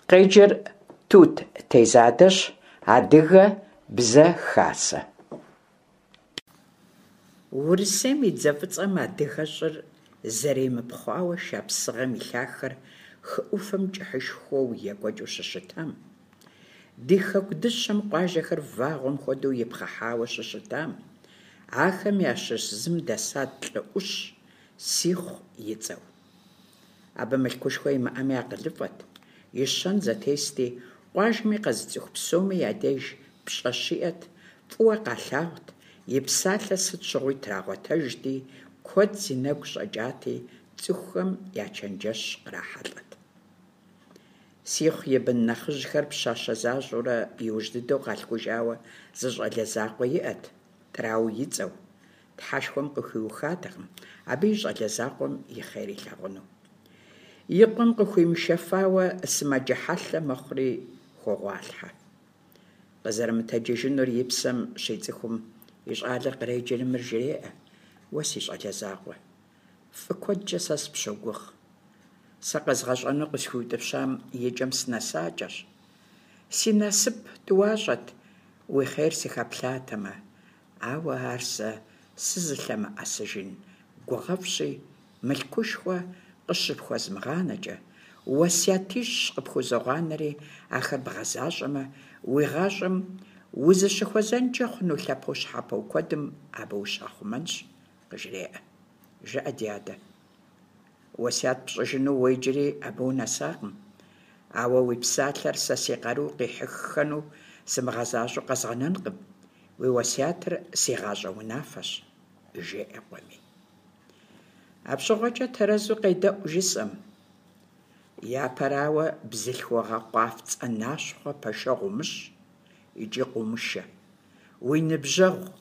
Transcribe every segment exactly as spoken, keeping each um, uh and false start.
Къеджэр Тут Тезадэщ, Адыгэ Бзэ Хасэ. Урысейм и дзэ фӀыцӀэм адыгэщӀыр зэримыпхъуауэ Шапсыгъым и лъахэр хы Ӏуфэм кӀыхьышхуэу екӀуэкӀыу щыщытам, ди хэку дыщэм къуажэхэр вагъуэм хуэдэу ипхъыхьауэ щыщытам, ахэм ящыщ зым дэсат лӀы Ӏущ, Сихъу и цӀэу. Абы мылъкушхуэ имыӀэми, акъылыфӀэт, и щэн зэтести, къуажэми къэзыцӀыху псоми я деж пщӀэ щиӀэт, фӀыуэ къалъагъут, и псалъэ сыт щыгъуи трагъуэтэжти, куэд зи нэгу щӀэкӀати, цӀыхухэм я чэнджэщ кърахьэлӀэт. Сихъу и бын нэхъыжьхэр пщащэ защӀэурэ, иужь дыдэу къалъхужауэ зы щӀалэ закъуэ иӀэт, ТӀрау и цӀэу. Тхьэшхуэм къыхуиухатэкъым абы и щӀалэ закъуэм и хъер илъагъуну. И къуэм къыхуимышэфауэ сымаджэ хьэлъэ мэхъури хогъуалъхьэ. Къызэрымытэджыжынур и псэм щицӀыхум, и щӀалэр къреджэри мыр жреӀэ: «Уэ си щӀалэ закъуэ, фӀы куэдкӀэ сэ сыпщогугъ. Сэ къэзгъэщӀэну къысхуиутӀыпщам и кӀэм сынэсакӀэщ. Си насып тӀуащӀэт уи хъер сыхэплъатэмэ, ауэ ар сэ сызылъэмыӀэсыжын гугъэфӀщи, мылъкушхуэ къыщыпхуэзмыгъанэкӀэ, уэсятищ къыпхузогъанэри, ахэр бгъэзащӀэмэ, уи гъащӀэм узыщыхуэзэнкӀэ хъуну лъэпощхьэпо куэдым абы ущахъумэнщ», къыжреӀэ. «ЖыӀэ, ди адэ, уэсят пщӀыжыну уэ иджыри абы унэсакъым, ауэ уи псалъэр сэ си къару къихьыххэну сымыгъэзащӀэу къэзгъэнэнкъым, уи уэсятыр си гъащӀэ унафэщ», жеӀэ къуэми. АпщыгъуэкӀэ тэрэзу къедэӀу жысӀэм. Япэрауэ, бзылъхугъэ къуафцӀэнащхъуэ пэшэгъу умыщӀ икӀи къыумышэ, уи ныбжьэгъу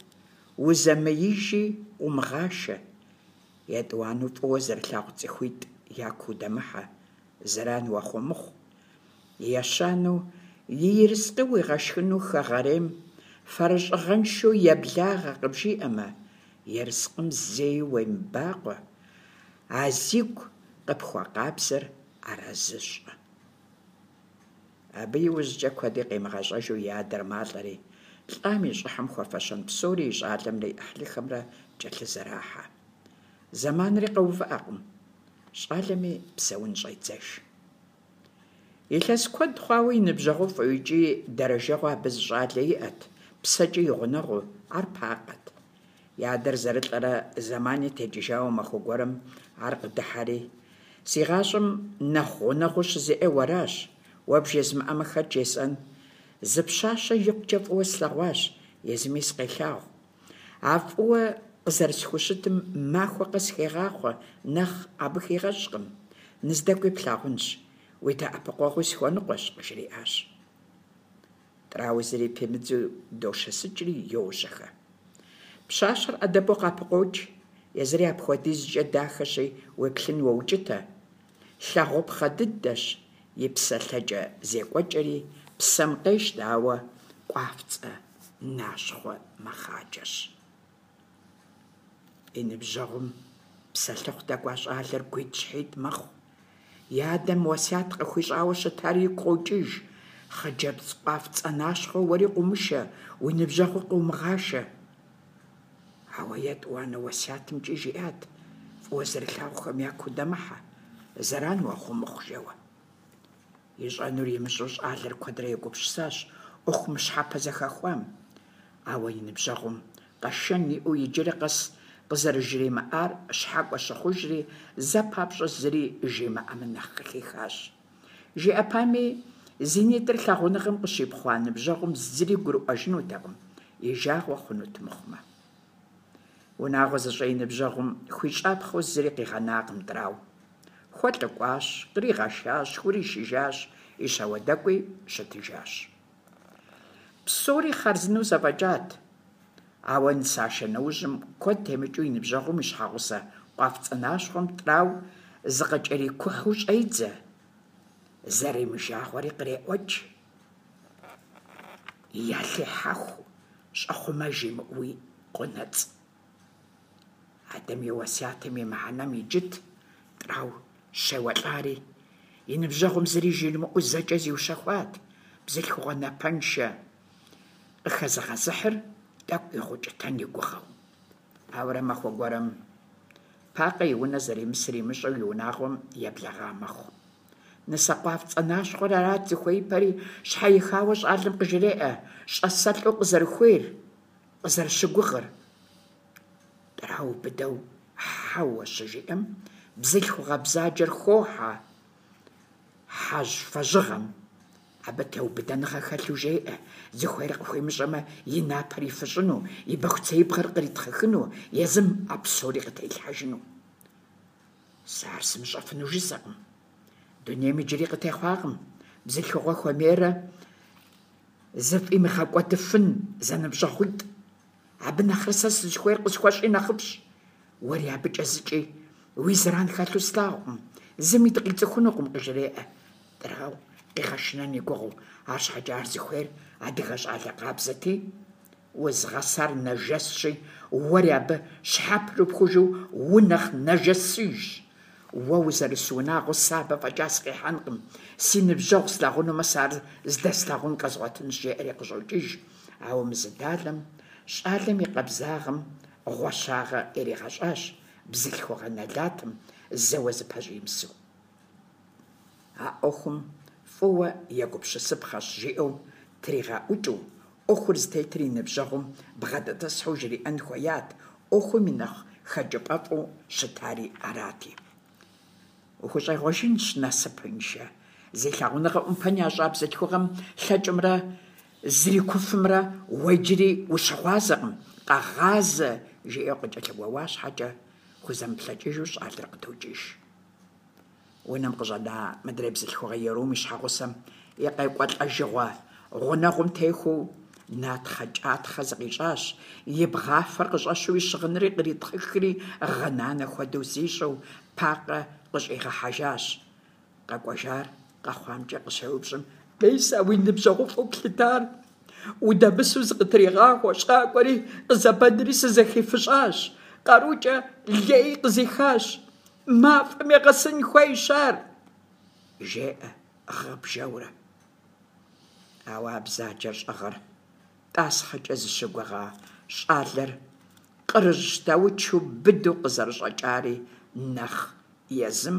узэмеижи къыумыгъашэ. ЕтӀуанэу, фӀыуэ зэрылъагъу цӀыхуитӀ яку удэмыхьэ, зэран уахуэмыхъу. Ещанэу, и ерыскъы уигъэшхыну хэгъэрейм фэрыщӀыгъэншэу еблагъэ къыбжиӀэмэ, ерыскъым зэи уемыбакъуэ, а зигу къыпхуэкъабзэр арэзы щӀы. Абы иужькӀэ куэди къимыгъэщӀэжу и адэр малӀэри, лӀам и щӀыхьым хуэфэщэн псори и щӀалэмрэ и Ӏыхьлыхэмрэ кӀэлъызэрахьэ. Зэманри къэувыӀэкъым, щӀалэми псэун щӀедзэж. Илъэс куэд хъуауэ и ныбжьэгъуфӀу икӀи дэрэжэгъуэу абы зы щӀалэ иӀэт, псэкӀи и гъунэгъуу, ар Пакъэт. И адэр зэрылӀэрэ зэмани текӀыжауэ махуэ гуэрым ар къыдыхьэри: «Си гъащӀэм нэхъ гъунэгъуу щызиӀэр уэращ, уэ бжезмыӀэмэ, хэт жесӀэн? Зы пщащэ икъукӀэ фӀыуэ слъэгъуащ, езыми сыкъелъагъу. А фӀыуэ къызэрысхущытым махуэ къэс хегъахъуэ, нэхъ абы хигъэщӀкъым. НыздэкӀуи плъагъунщ, уи дэӀэпыкъуэгъуи сыхуэныкъуэщ», къыжриӀащ. ТӀрау зыри пимыдзу дошэсыкӀри йожьэхэ. Пщащэр Ӏэдэбу къапыкъуокӀ, езыри апхуэдизкӀэ дахэщи, уеплъын уоукӀытэ. Лъагъупхъэ дыдэщ, и псэлъэкӀэ-зекӀуэкӀэри псэм къещтэ, ауэ къуафцӀэнащхъуэ мэхъаджэщ. И ныбжьэгъум псэлъыхъу дэкӀуа щӀалэр гуитӀщхьитӀ мэхъу. И адэм уэсят къыхуищӀауэ щытар игу къокӀыж: «Хъыджэбз къуафцӀэнащхъуэ уэри къыумышэ, уи ныбжьэгъуи къыумыгъашэ». Ауэ етӀуанэ уэсятымкӀи жиӀат: «ФӀыуэ зэрылъагъухэм яку удэмыхьэ, зэран уахуэмыхъу», жэуэ. ИщӀэнур имыщӀэу щӀалэр куэдрэ егупсысащ Ӏуэху мыщхьэпэ зэхэхуам. Ауэ и ныбжьэгъум къэшэн иӀэу иджыри къэс къызэрыжримыӀар щхьэкӀуэ щыхъужри, зэ папщӀэ зыри жимыӀэмэ нэхъ къыхихащ. ЖиӀэпами, зи нитӀыр лъагъуныгъэм къыщипхъуа ныбжьэгъум зыри гурыӀуэжынутэкъым, и жагъуэ хъунут мыхъумэ. Унагъуэ зыщӀа и ныбжьэгъум хуищӀапхъэу зыри къигъэнакъым ТӀрау. ХуэлӀыкӀуащ, къригъэшащ, хуришыжащ, и щауэдэкӀуи щытыжащ. Псори хъарзынэу зэфӀэкӀат, ауэ нысашэ нэужьым куэд темыкӀыу и ныбжьэгъум и щхьэгъусэ къуафцӀэнащхъуэм ТӀрау зыкъыкӀэрикухьу щӀедзэ, зэримыжагъуэри къреӀуэкӀ. Ялъехьэху, щӀэхъумэж имыӀэуи къонэцӀ. Адэм и уэсятым и мыхьэнэм иджыт ТӀрау щеуэлӀари, И ныбжьэгъум зыри жримыӀэу зэкӀэ зиущэхуат, бзылъхугъэ напэншэ къыхэзыгъэзыхьыр тӀэкӀу игъэукӀытэн и гугъэу. Ауэрэ махуэ гуэрым Пакъэ и унэ зэримысыр имыщӀэу и унагъуэм еблэгъа мэхъу. Нысэ къуафцӀэнащхъуэр арат зыхуеипэри, щхьэихауэ щӀалэм къыжреӀэ щӀасэлӀу къызэрыхуейр, къызэрыщыгугъыр. ТӀрау быдэу хьэуэ щыжиӀэм, бзылъхугъэ бзаджэр хохьэ хьэжьвэжьыгъэм. Абы теубыдэныгъэ хэлъу жеӀэ, зыхуейр къыхуимыщӀэмэ, и напэр ифыщӀыну, и бэхуцеибгъэр къритхъыхыну, езым а псори къытрилъхьэжыну. Сэ ар сымыщӀэфыну жысӀэкъым. Дунейм иджыри къытехъуакъым бзылъхугъэ хуэмейрэ зыфӀимыгъэкӀуэдыфын зэныбжьэгъуитӀ. Абы нэхърэ сэ сызыхуейр къысхуэщӀи нэхъыфӀщ. Уэри абыкӀэ зыкӀи уи зэран хэлъу слъагъукъым, зыми дыкъицӀыхунукъым, къыжреӀэ ТӀрау къигъэшынэн и гугъэу. АрщхьэкӀэ ар зыхуейр адыгэ щӀалэ къабзэти, узгъэсар нэжэсщи, уэри абы щхьэпрыпхужу унэхъ нэжэсыжщ. Уэ узэрыс унагъуэ сэ абы фӀэкӀа сыкъихьэнкъым, си ныбжьэгъу слъагъунумэ, сэ ар здэслъагъун къэзгъуэтынщ, жеӀэри къыщӀокӀыж. Ауэ мы зы далэм щӀалэм и къабзагъэм гъуэщагъэ иригъэщӀащ бзылъхугъэ нэлатым зэуэ зыпэщӀимысэу. А Ӏуэхум фӀыуэ егупсысыпхъэщ, жиӀэу тригъэӀукӀыу, Ӏуэхур зытетыр и ныбжьэгъум бгъэдэтӀысхьэу жриӀэн хуеят, Ӏуэхум и нэхъ хэкӀыпӀэфӀу щытари арати. УхущӀегъуэжынщ, насыпыншэ! Зи лъагъуныгъэ Ӏумпэм ящӀа бзылъхугъэм лъэкӀымрэ зрикуфымрэ уэ иджыри ущыгъуазэкъым, къэгъазэ, жиӀэу къыкӀэлъыгуэуа щхьэкӀэ, хузэмыплъэкӀыжу щӀалэр къыдокӀыж. Унэм къыщӀэна мыдрей бзылъхугъэ ерум и щхьэгъусэм и къекӀуэлӀэжыгъуэ гъунэгъум техуэу натхъэ-кӀатхъэ зыкъищӀащ, и бгъафэр къыщӀэщу и щыгъынри къритхъыхри гъынанэ хуэдэу зищӀу Пакъэ къыщӀигъэхьэжащ. КъэкӀуэжар къэхъуамкӀэ къыщеупщӀым, мес а уи ныбжьэгъуфӀу плъытар удэмысу зыкъытригъахуэщ, къакӀуэри къызэбэнри сызэхифыщӀащ, къарукӀэ лей къызихащ, мафӀэм егъэсын хуейщ ар, жеӀэ гъыбжэурэ. Ауэ а бзаджэр щӀэгъыр тӀасхъэкӀэ зыщыгугъа щӀалэр къырыжь щтаучу быдэу къызэрыщӀэкӀари нэхъ езым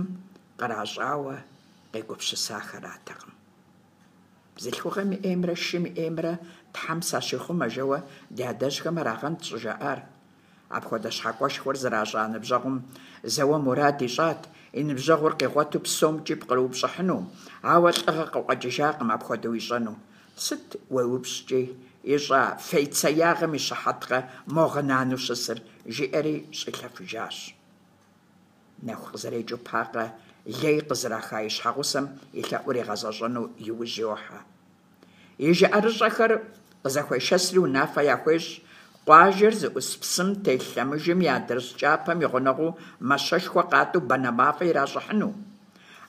къращӀауэ къегупсысахэратэкъым. Бзылъхугъэм и Ӏеймрэ шым и Ӏеймрэ Тхьэм сащихъумэ, жэуэ ди адэжьхэм арагъэнт щӀыжаӀар. Апхуэдэ щхьэкӀуэшхуэр зращӀа ныбжьэгъум зэуэ мурад ищӀат и ныбжьэгъур къигъуэту псомкӀи пкърыупщӀыхьыну, ауэ лӀыгъэ къыкъуэкӀыжакъым апхуэдэу ищӀэну. Сыт уеупщӀкӀи ищӀа фейцеягъэм и щыхьэткъэ мо гъынанэу щысыр, жиӀэри щӀилъэфыжащ. Нэху къызэрекӀыу Пакъэ лей къызраха и щхьэгъусэм и лъэӀур игъэзэщӀэну и ужь йохьэ. И жыӀэрыщӀэхэр къызэхуешэсри унафэ яхуещӀ къуажэр зыӀус псым телъ лъэмыжым и адрыщӀ кӀапэм и гъунэгъуу мащэшхуэ къатӀу банэ мафӀэ иращӀыхьыну.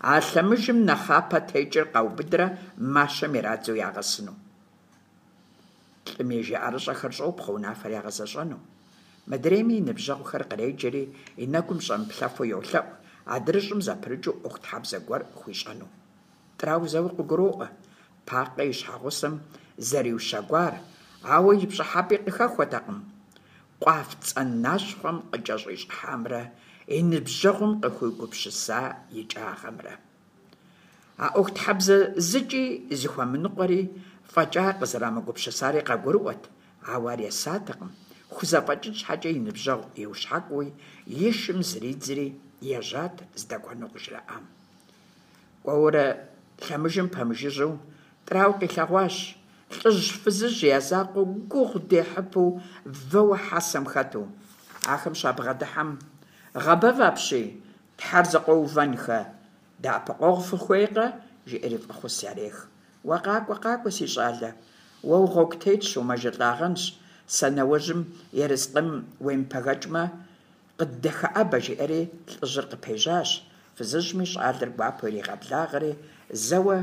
А лъэмыжым нэхъапэ текӀыр къаубыдрэ мащэм ирадзэу ягъэсыну. ЛӀым и жыӀэрыщӀэхэр щӀопхъуэ унафэр ягъэзэщӀэну. Мыдрейми и ныбжьэгъухэр къреджэри и нэгум щӀэмыплъэфу йолъэӀу адрыщӀым зэпрыкӀыу Ӏуэхутхьэбзэ гуэр хуищӀэну. ТӀрау зэуэ къыгуроӀуэ Пакъэ и щхьэгъусэм зэриущэгуар, ауэ и пщӀыхьэпӀи къыхэхуэтэкъым къуафцӀэнащхъуэм къыкӀэщӀищӀыхьамрэ и ныбжьэгъум къыхуигупсыса икӀагъэмрэ. А Ӏуэхутхьэбзэ зыкӀи зыхуэмыныкъуэри фӀэкӀа къызэрамыгупсысари къагурыӀуэт, ауэ ар есатэкъым, хузэфӀэкӀын щхьэкӀэ и ныбжьэгъу иущхьэкӀууи, и шым зридзри ежьат здэкӀуэну къыжраӀам. КӀуэурэ лъэмыжым пэмыжыжьэу ТӀрау къилъэгъуащ лӀыжь-фызыжь я закъуэу гугъу дехьыпэу вэуэ хьэсэм хэту. Ахэм щабгъэдыхьэм, «Гъэбэв апщий, Тхьэр зыкъуэувэнхэ, дэӀэпыкъуэгъу фыхуейкъэ?» жиӀэри фӀэхъус ярех. «Уэ къакӀуэ, къакӀуэ, си щӀалэ, уэ угъуэгу тетщ, умэжэлӀагъэнщ, сэ нэужьым ерыскъым уемыпэгэкӀмэ, къыддэхэӀэбэ», жиӀэри лӀыжьыр къыпежьащ. Фызыжьми щӀалэр гуапэу иригъэблагъэри, зэуэ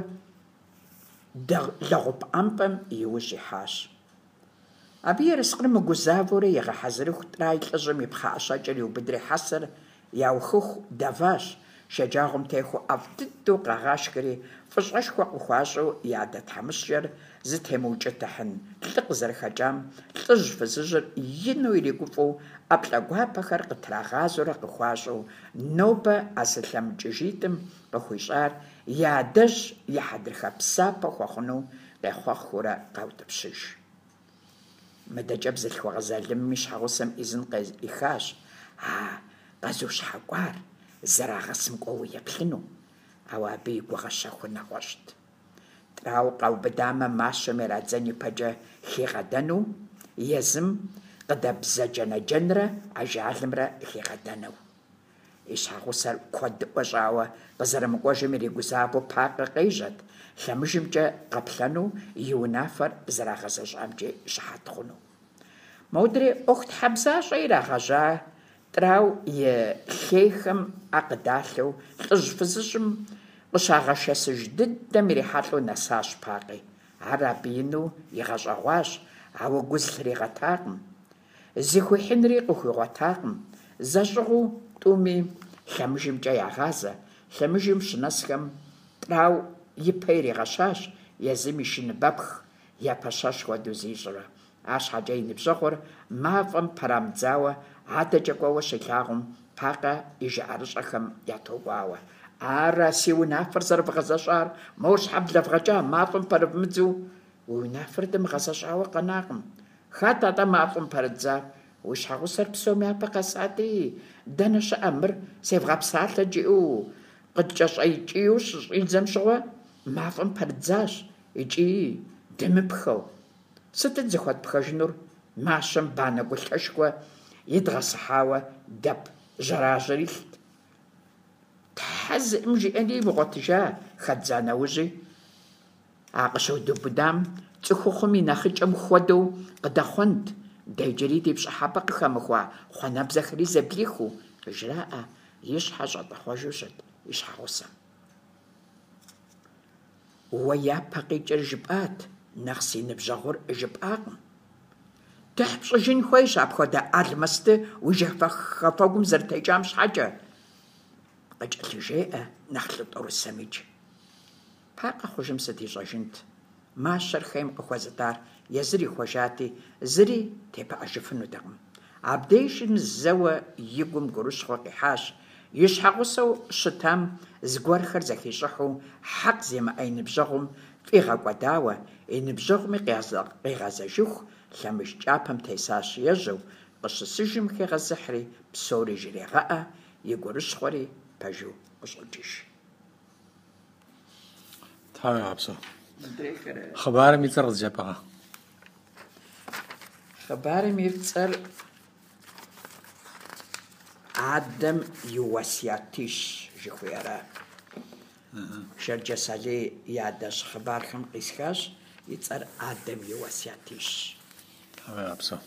лэгъупӀэмпӀэм и ужь ихьащ. Абы ерыскъыр мыгузавэурэ игъэхьэзырыху, ТӀрай лӀыжьым и пхъэӀэщэкӀэр иубыдри хьэсэр яухыху дэващ, Шэджагъуэм техуэу ӀэфӀ дыдэу къагъашхэри, фӀыщӀэшхуэ къыхуащӀу, я адэ тхьэмыщкӀэр зытемыукӀытыхьын лӀы къызэрыхэкӀам лӀыжь-фызыжьыр ину иригуфӀэу, ӀэплӀэ гуапэхэр къытрагъазэурэ къыхуащӀу, нобэ а зылъэмыкӀыжитӀым къыхуищӀар я адэжь и хьэдрыхэ псапэ хуэхъуну къехъуэхъуурэ къаутӀыпщыж. МыдэкӀэ бзылъхугъэ залымым и щхьэгъусэм Ӏизын къеӀихащ а къэзущхьэкӀуар зэрагъэсым кӀуэуэ еплъыну, ауэ абы и гугъэ щэхур нэгъуэщӀт. Трау къаубыдамэ, мащэм ирадзэн ипэкӀэ хигъэдэну, езым къыдэбзэджэнэджэнрэ ажалымрэ хигъэдэну. И щхьэгъусэр куэдыӀуэ щӀауэ къызэрымыкӀуэжым иригузавэу Пакъэ къежьэт, лъэмыжымкӀэ къэплъэну, и унафэр зэрагъэзэщӀамкӀи щыхьэт хъуну. Модрей ӀуэхутхьэбзащӀэ ирагъэжьа Трау и лъейхэм Ӏэ къыдалъэу лӀыжь-фызыжьым къыщагъэшэсыж дыдэм ирихьэлӀэу нэсащ Пакъи. Ар абы ину игъэщӀэгъуащ, ауэ гу зылъригъэтакъым. Зыхуихьынри къыхуигъуэтакъым. ЗэщӀыгъуу тӀуми лъэмыжымкӀэ ягъазэ. Лъэмыжым щынэсхэм Трау ипэ иригъэщащ, езым и шыныбэпх епэщэщ хуэдэу зищӀурэ. АрщхьэкӀэ и ныбжьэгъур мафӀэм пэрамыдзауэ адэкӀэ кӀуэуэ щилъагъум, Пакъэ и жыӀэрыщӀэхэм ятогуауэ: «Ара си унафэр зэрывгъэзэщӀар? Мор щхьэ блэвгъэкӀа, мафӀэм пэрывмыдзэу?» «Уи унафэр дымыгъэзэщӀауэ къэнакъым. Хэт атӀэ мафӀэм пэрыддзар? Уи щхьэгъусэр псом япэ къэсати, дэнэ щыӀэ мыр, севгъэпсалъэт жиӀэу къыткӀэщӀэкӀиеу щыщӀидзэм щыгъуэ, мафӀэм пэрыддзащ икӀи дымыпхэу. Сытыт зыхуэтпхэжынур? Мащэм банэ гулъэшхуэ идгъэсыхьауэ дэп жьэражьэр илът. Тхьэ зыӀым жиӀэни имыгъуэтыжа, хэддза нэужьи. А къыщыдубыдам цӀыхухъум и нэхъыкӀэм хуэдэу къыдэхъуэнт, дэ иджыри ди пщӀыхьэпӀэ къыхэмыхуа хъуэнэбзэхэри зэблихыу, къыжраӀэ и щхьэ щӀэтӀэхъуэжу щыт и щхьэгъусэм. Уэ япэ къикӀыр жыпӀат, нэхъ си ныбжьэгъур жыпӀакъым. Тыхь пщӀыжын хуейщ апхуэдэ алмэсты уи жьэхэфэгум зэрытекӀам щхьэкӀэ, къыкӀэлъыжеӀэ нэхъ лӀы тӀорысэмикӀ. Пакъэ хъужым сыт ищӀэжынт? Мащэр хейм къыхуэзытӀар езыр ихуэжати, зыри тепыӀэжыфынутэкъым. Абдежым зэуэ и гум гурыщхъуэ къихьащ, и щхьэгъусэу щытам зыгуэрхэр зэхищӀыхьу хьэкъ зимыӀэ и ныбжьэгъум фӀигъэкӀуэдауэ, и ныбжьэгъуми къигъэзэжыху лъэмыж кӀапэм тесащ ежьэу, къыщысыжым хегъэзыхьри псори жрегъэӀэ, и гурыщхъуэри пэжу къыщӀокӀыж. Тхьэуегъэпсэу. Хъыбарым и цӀэр къызжепӀакъэ? Хъыбарым и цӀэр Адэм и уэсятищ жыхуиӀэра. Шэрджэс Алий и адэжь хъыбархэм къисхащ, и цӀэр Адэм и уэсятищ. Тхьэуегъэпсэу.